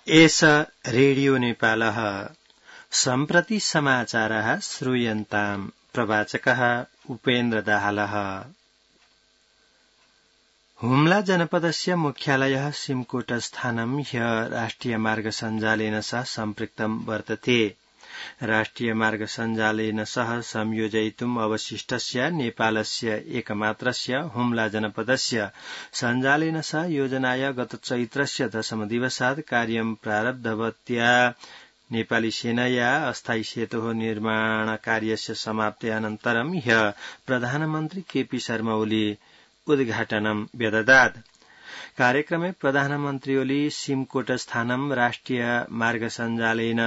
एष रेडियो नेपालः सम्प्रति समाचारः श्रूयन्ताम् प्रवाचकः उपेन्द्र दाहालः। हुम्ला जनपदस्य मुख्यालयः सिमकोटस्थानं ह्य राष्ट्रियमार्ग सञ्जालेन सह सम्पृक्तं वर्तते। राष्ट्रियमार्गसञ्जालेन सह संयोजयितुम् अवशिष्टस्य नेपालस्य एकमात्रस्य हुम्ला जनपदस्य सञ्जालेन सह योजनाय गत चैत्रस्य 10 दिवसात् कार्यं प्रारब्धवत्या नेपाली सेनया अस्थायी सेतोः निर्माणकार्यस्य समाप्त्यानन्तरं ह्य प्रधानमन्त्री केपी शर्मा ओली उद्घाटनं व्यददात्। कार्यक्रमे प्रधानमन्त्री ओली सिमकोटस्थानं राष्ट्रियमार्गसञ्जालेन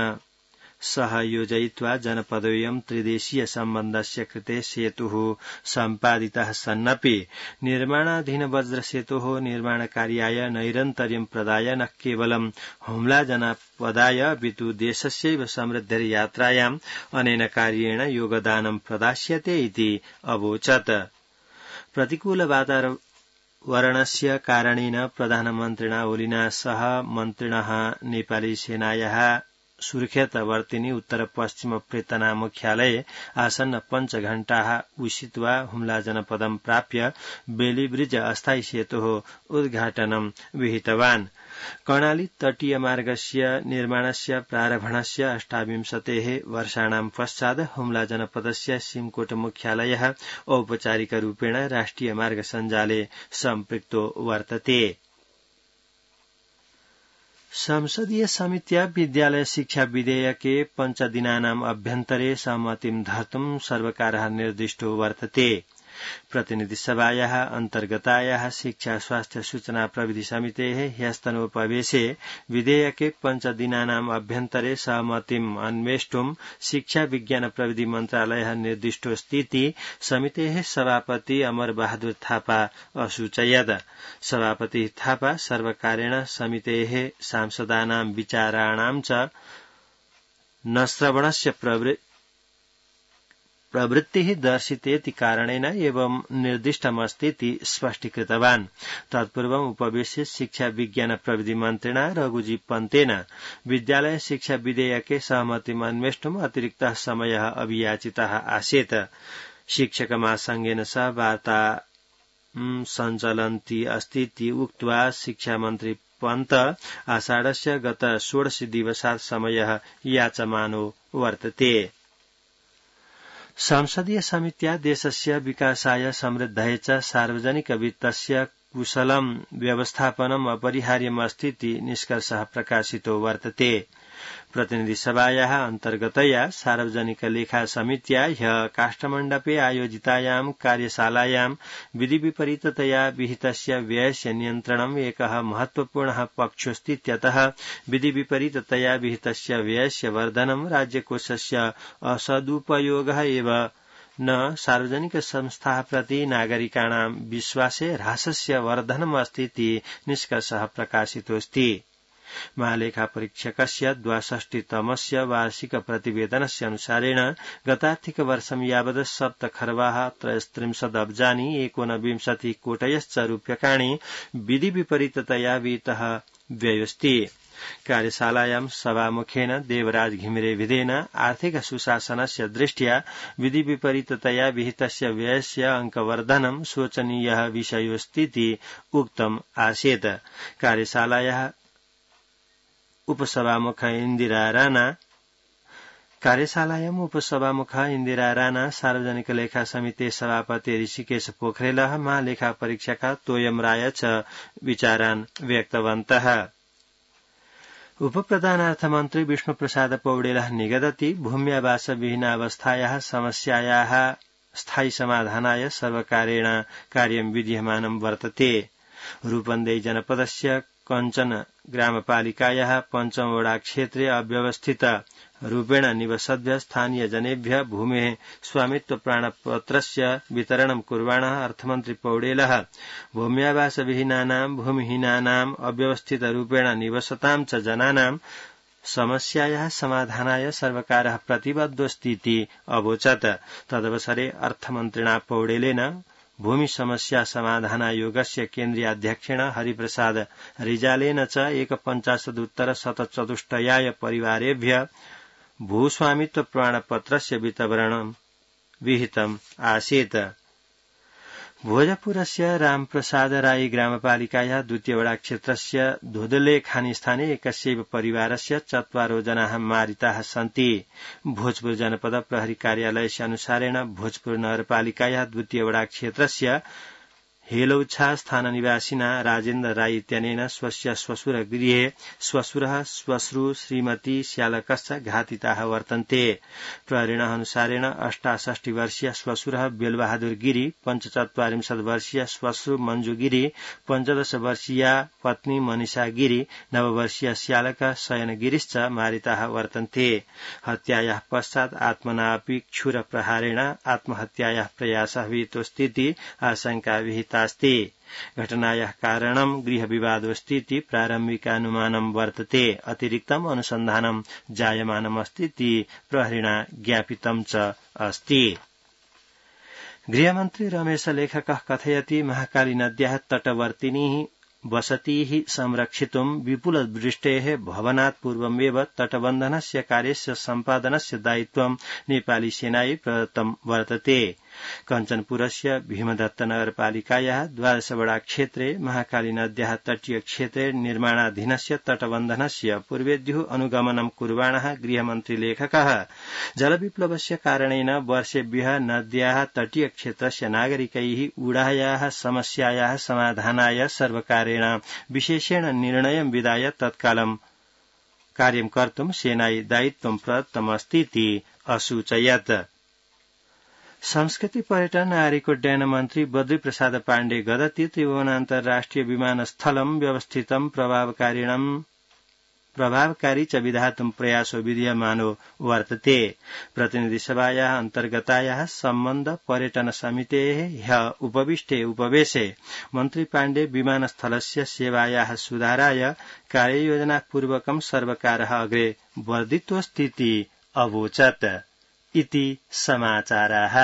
सह योजयित्वा जनपदोऽयं त्रिदेशीय सम्बन्धस्य कृते सेतुः सम्पादितः सन्नपि निर्माणाधीन वज्रसेतोः निर्माणकार्याय नैरन्तर्यं प्रदाय न केवलं हुम्ला जनपदाय अपितु देशस्यैव समृद्धिर्यात्रायाम् अनेन कार्येण योगदानं प्रदास्यते इति अवोचत्। प्रतिकूल वातावरणस्य कारणेन प्रधानमन्त्रिणा ओलिना सह मन्त्रिणः नेपाली सेनायाः सुर्खेतवर्तिनी उत्तर पश्चिम प्रेतना मुख्यालये आसन्न 5 घण्टाः उषित्वा हुम्ला जनपदं प्राप्य बेलीब्रिज अस्थायी सेतोः उद्घाटनं विहितवान्। कर्णाली तटीय मार्गस्य निर्माणस्य प्रारम्भणस्य 28 वर्षाणां पश्चात् हुम्ला जनपदस्य सिमकोट मुख्यालयः औपचारिकरूपेण राष्ट्रिय मार्ग सञ्जाले सम्पृक्तो वर्तते। संसदीय समित्या विद्यालय शिक्षा विधेयके 5 दिनानाम् अभ्यन्तरे सहमतिं धर्तुं सर्वकारः निर्दिष्टो वर्तते। प्रतिनिधि सभायाः अन्तर्गतायाः शिक्षा स्वास्थ्य सूचना प्रविधि समितेः ह्यस्तनोपवेशे विधेयके 5 दिनानाम् अभ्यन्तरे सहमतिम् अन्वेष्टुं शिक्षा विज्ञान प्रविधि मन्त्रालयः निर्दिष्टोऽस्तीति समितेः सभापति अमर बहादुर थापा असूचयत्। सभापति थापा सर्वकारेण समितेः सांसदानां विचाराणां च न श्रवणस्य प्रवृत्तिः दर्शितेति कारणेन एवं निर्दिष्टमस्तीति स्पष्टीकृतवान्। तत्पूर्वम् उपवेशे शिक्षा विज्ञान प्रविधि मन्त्रिणा रघुजी पन्तेन विद्यालय शिक्षा विधेयके सहमतिम् अन्वेष्टुम् अतिरिक्तः समयः अभियाचितः आसीत्। शिक्षक महासंघेन सह वार्ता सञ्चलन्ती अस्तीति उक्त्वा शिक्षा मन्त्री पन्त आषाढस्य गत 16 दिवसात् समयः याचमानो वर्तते। संसदीय समित्या देशस्य विकासाय समृद्धये च सार्वजनिक वित्तस्य कुशलं व्यवस्थापनम् अपरिहार्यमस्तीति निष्कर्षः प्रकाशितो वर्तते। प्रतिनिधि सभायाः अन्तर्गतया सार्वजनिक लेखा समित्या ह्यः काष्ठमण्डपे आयोजितायां कार्यशालायां विधि विपरीततया विहितस्य व्ययस्य नियन्त्रणम् एकः महत्वपूर्णः पक्षोऽस्तीत्यतः विधि विपरीततया विहितस्य व्ययस्य वर्धनं राज्यकोषस्य असदुपयोगः एव न सार्वजनिक संस्थाः प्रति नागरिकाणां विश्वासे ह्रासस्य वर्धनमस्तीति निष्कर्षः प्रकाशितोऽस्ति। महालेखा परीक्षकस्य 62तमस्य वार्षिक प्रतिवेदनस्य अनुसारेण गतार्थिक वर्षं यावत् 7 खर्वाः 33 अब्जानि 29 कोटयश्च रूप्यकाणि विधि विपरीततया विहितः व्ययोऽस्ति। कार्यशालायां सभामुखेन देवराज घिमिरे विधेन आर्थिक सुशासनस्य दृष्ट्या विधि विपरीततया विहितस्य व्ययस्य अंकवर्धनं शोचनीयः विषयोऽस्तीति उक्तम् आसीत्। कार्यशालायाः उपसभामुख इन्दिरा राणा सार्वजनिक लेखा समिति सभापति ऋषिकेश पोखरेलः महालेखा परीक्षक तोयम राय च विचारान् व्यक्तवन्तः। उपप्रधानार्थमन्त्री विष्णुप्रसाद पौडेलः निगदति भूम्यावास विहीनावस्थायाः समस्यायाः स्थायी समाधानाय सर्वकारेण कार्यं विधीयमानं वर्तते। रूपन्देही जनपदस्य कञ्चन ग्रामपालिकायाः पञ्चमवडा क्षेत्रे अव्यवस्थित रूपेण निवसद्भ्यः स्थानीय जनेभ्यः भूमेः स्वामित्व प्राणपत्रस्य वितरणं कुर्वाणः अर्थमन्त्री पौडेलः भूम्यावासविहीनानां भूमिहीनानां अव्यवस्थित रूपेण निवसतां च जनानां समस्यायाः समाधानाय सर्वकारः प्रतिबद्धोऽस्तीति अवोचत्। तदवसरे अर्थमन्त्रिणा पौडेलेन भूमि समस्या समाधानायोगस्य केन्द्रीयाध्यक्षेण हरिप्रसाद रिजालेन च 150 परिवारेभ्य भूस्वामित्व प्रमाणपत्रस्य वितरणं विहितम् आसीत्। भोजपुरस्य रामप्रसाद राई ग्रामपालिकायाः द्वितीय वडा क्षेत्रस्य धोदलेखानी स्थाने एकस्यैव परिवारस्य 4 जनाः मारिताः सन्ति। भोजपुर जनपद प्रहरी कार्यालयस्य अनुसारेण भोजपुर नगरपालिकायाः द्वितीय वडा क्षेत्रस्य हेलौछा स्थान निवासिना राजेन्द्र राई इत्यनेन स्वस्य श्वशुरगृहे श्वशुरः श्वश्रु श्रीमती श्यालकश्च घातिताः वर्तन्ते। प्रहरिणः अनुसारेण 68 वर्षीय श्वशुरः बेलबहादुर गिरी, 45 वर्षीय श्वश्रु मंजू गिरी, 15 वर्षीया पत्नी मनीषा गिरी, 9 वर्षीय श्यालक शयन गिरीश्च मारिताः वर्तन्ते। हत्यायाः पश्चात् आत्मनापि क्षुर प्रहारेण आत्महत्यायाः प्रयासः विहितोऽस्तीति आशंका विहिता अस्ति। घटनायाः कारणं गृहविवादोऽस्तीति प्रारम्भिकानुमानं वर्तते। अतिरिक्तम् अनुसन्धानं जायमानमस्तीति प्रहरिणा ज्ञापितं च अस्ति। गृहमन्त्री रमेश लेखकः कथयति महाकाली नद्याः तटवर्तिनीः वसतिः संरक्षितुं विपुलवृष्टेः भवनात् पूर्वमेव तटबन्धनस्य कार्यस्य सम्पादनस्य दायित्वं नेपाली सेनायै प्रदत्तं वर्तते। कञ्चनपुरस्य भीमदत्त नगरपालिकायाः 12 वडा क्षेत्रे महाकाली नद्याः तटीय क्षेत्रे निर्माणाधीनस्य तटबन्धनस्य पूर्वेद्युः अनुगमनं कुर्वाणः गृहमन्त्री लेखकः जलविप्लवस्य कारणेन वर्षेभ्यः नद्याः तटीय क्षेत्रस्य नागरिकैः ऊढायाः समस्यायाः समाधानाय सर्वकारेण विशेषेण निर्णयं विधाय तत्कालं कार्यं कर्तुं सेनायै दायित्वं प्रदत्तमस्तीति असूचयत्। संस्कृति पर्यटन नागरिकोड्डयन मन्त्री बद्री प्रसाद पाण्डे गदति त्रिभुवन अन्तर्राष्ट्रिय विमानस्थलं व्यवस्थितं प्रभावकारी च विधातुं प्रयासो विधीयमानो वर्तते। प्रतिनिधिसभायाः अन्तर्गतायाः सम्बन्ध पर्यटन समितेः ह्यः उपविष्टे उपवेशे मन्त्री पाण्डे विमानस्थलस्य सेवायाः सुधाराय कार्ययोजनापूर्वकं सर्वकारः अग्रे वर्धितोऽस्तीति अवोचत्। इति समाचाराः।